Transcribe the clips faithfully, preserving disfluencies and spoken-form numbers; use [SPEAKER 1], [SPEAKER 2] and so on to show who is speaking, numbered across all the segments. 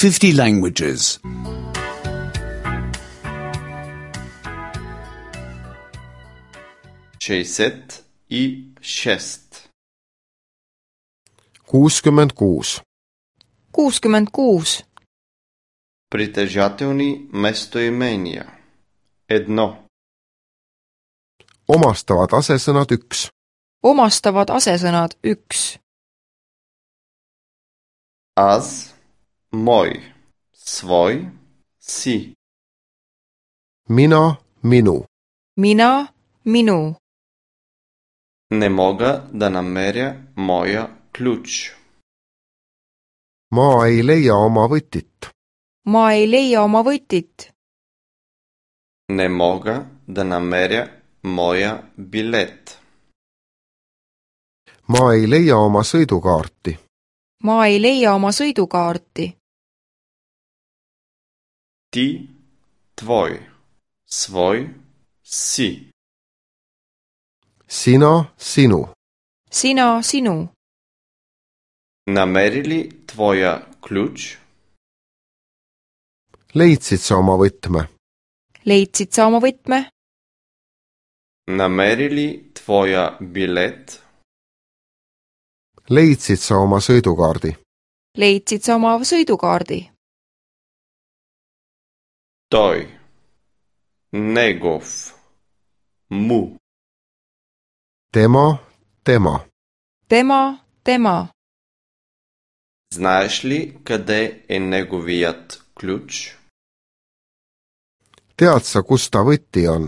[SPEAKER 1] fifty languages.
[SPEAKER 2] шестьдесят и шесть.
[SPEAKER 3] kuuskümmend kuus.
[SPEAKER 4] kuuskümmend kuus.
[SPEAKER 2] Притежателни местоимения. Едно.
[SPEAKER 3] Omastavad asesõnad üks.
[SPEAKER 4] Omastavad asesõnad üks.
[SPEAKER 2] Аз, мой, свой, си.
[SPEAKER 3] Mina, minu.
[SPEAKER 4] Mina, minu.
[SPEAKER 2] Не мога да намеря моя ключ.
[SPEAKER 3] Ma ei leia oma võtit.
[SPEAKER 4] Ma ei leia oma võtit.
[SPEAKER 2] Не мога да намеря моя билет.
[SPEAKER 3] Ma ei leia oma sõidukaarti.
[SPEAKER 4] Ma ei leia oma sõidukaarti.
[SPEAKER 2] Ти, твой, свой, си.
[SPEAKER 3] Sina, sinu.
[SPEAKER 4] Sina, sinu.
[SPEAKER 2] Намери ли твоя ключ?
[SPEAKER 3] Leidsid sa oma võtme?
[SPEAKER 4] Leidsid sa oma võtme?
[SPEAKER 2] Намери ли твоя билет?
[SPEAKER 3] Leidsid sa oma sõidukaardi?
[SPEAKER 4] Leidsid sa oma sõidukaardi?
[SPEAKER 2] Той. Негов. Му.
[SPEAKER 3] Tema, tema.
[SPEAKER 4] Tema, tema.
[SPEAKER 2] Знаеш ли къде е неговият ключ?
[SPEAKER 3] Tead sa, kus ta võti on?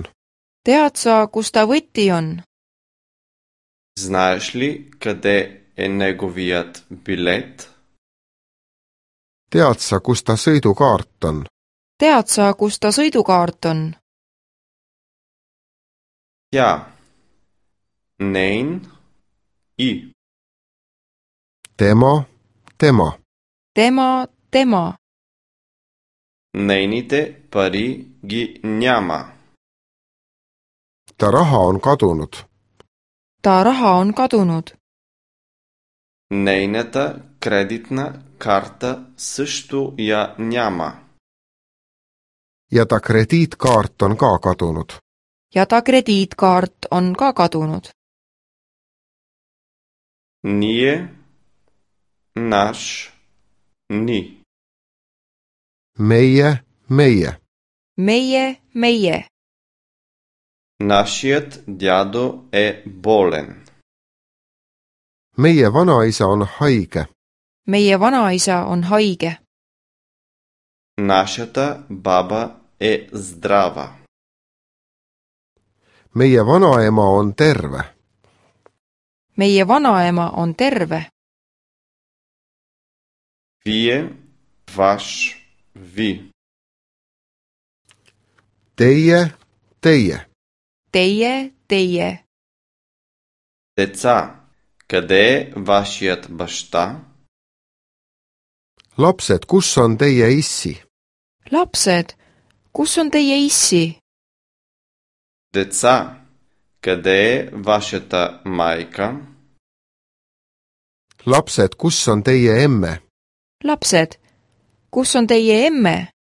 [SPEAKER 4] Tead sa, kus ta võti on?
[SPEAKER 2] Знаеш ли къде е неговият билет?
[SPEAKER 3] Tead sa, kus ta sõidukaart on?
[SPEAKER 4] Tead sa, kus ta sõidukaart on?
[SPEAKER 2] Тя. Нейн. И.
[SPEAKER 3] Tema, tema.
[SPEAKER 4] Tema, tema.
[SPEAKER 2] Нейните пари ги няма.
[SPEAKER 3] Ta raha on kadunud.
[SPEAKER 4] Ta raha on kadunud.
[SPEAKER 2] Нейната кредитна карта също я няма.
[SPEAKER 3] Ja ta krediitkaart on ka kadunud.
[SPEAKER 4] Ja ta krediitkaart on ka kadunud.
[SPEAKER 2] Ние. Наш. Ни.
[SPEAKER 3] Meie, meie.
[SPEAKER 4] Meie, meie.
[SPEAKER 2] Нашият дядо е болен.
[SPEAKER 3] Meie vanaisa on haige.
[SPEAKER 4] Meie vanaisa on haige.
[SPEAKER 2] Нашата баба е здрава.
[SPEAKER 3] Meie vanaema on terve.
[SPEAKER 4] Meie vanaema on terve.
[SPEAKER 2] Вие, ваш, ви.
[SPEAKER 3] Teie, teie.
[SPEAKER 4] Teie, teie.
[SPEAKER 2] Деца, къде е вашият баща?
[SPEAKER 3] Lapsed, kus on teie issi?
[SPEAKER 4] Lapsed, kus on teie issi?
[SPEAKER 2] Деца, къде е вашата майка?
[SPEAKER 3] Lapsed, kus on teie emme?
[SPEAKER 4] Lapsed, kus on teie emme?